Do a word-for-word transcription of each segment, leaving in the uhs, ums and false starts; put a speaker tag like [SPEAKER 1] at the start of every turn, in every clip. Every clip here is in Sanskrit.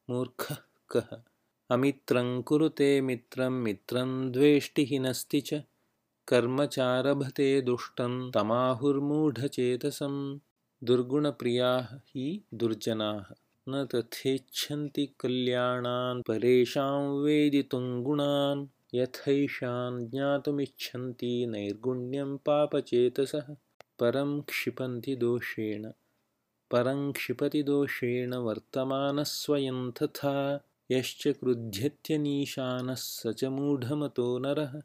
[SPEAKER 1] मूर्खः कः। अमित्रं कुरुते मित्रं मित्रं द्वेष्टि हिनस्ति च कर्मचारभते दुष्टं तमाहुर्मूढचेतसं। दुर्गुणप्रियाः हि दुर्जनाः न तथेच्छन्ति कल्याणान् परेषां वेदितुं गुणान् यथैषान् ज्ञातुमिच्छन्ति नैर्गुण्यं पापचेतसः। परं क्षिपन्ति दोषेण परं क्षिपति दोषेण वर्तमानः स्वयं तथा यश्च क्रुध्यत्यनीशानः स च मूढमतो नरः।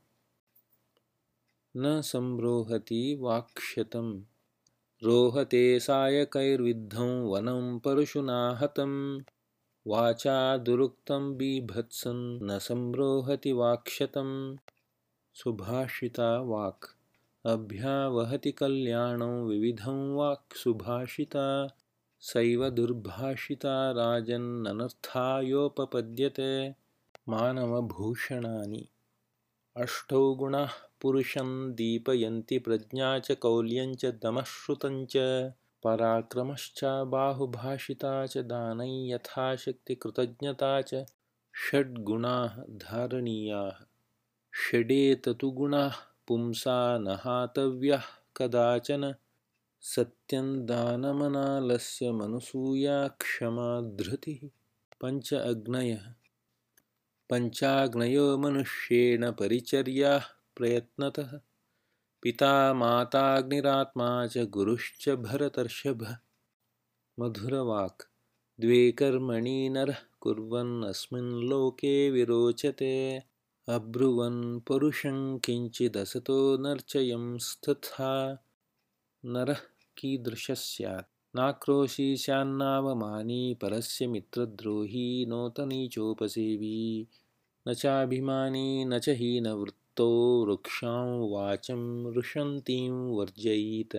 [SPEAKER 1] न सम्रोहति वाक्शतं रोहते सायकैर्विद्धं वनं परशुना हतं वाचा दुरुक्तं बीभत्सं न सम्रोहति वाक्शतं। सुभाषिता वाक् अभ्यावहति कल्याणं विविधं वाक् सुभाषिता सैव दुर्भाषिता राजन्ननर्थायोपपद्यते। मानवभूषणानि अष्टौ गुणाः पुरुषं दीपयन्ति प्रज्ञा च कौल्यं च दमः श्रुतं च पराक्रमश्च बाहुभाषिता च दानं यथाशक्ति कृतज्ञता च। षड्गुणाः धारणीयाः षडेततु गुणाः पुंसा न हातव्याः कदाचन सत्यं दानमनालस्य मनसूया क्षमा धृतिः। पञ्च अग्नयः पञ्चाग्नयो मनुष्येण परिचर्याः प्रयत्नतः पिता माताग्निरात्मा च गुरुश्च भरतर्षभः। मधुरवाक् द्वे कर्मणि नरः कुर्वन् अस्मिन् लोके विरोचते अब्रुवन् परुषं किञ्चिदसतो नर्चयंस्तथा। नरः कीदृशः स्यात् नाक्रोशी स्यान्नावमानी परस्य मित्रद्रोही नोतनीचोपसेवी न चाभिमानी न च हीनवृत्तो वृक्षां वाचं रुषन्तीं वर्जयीत।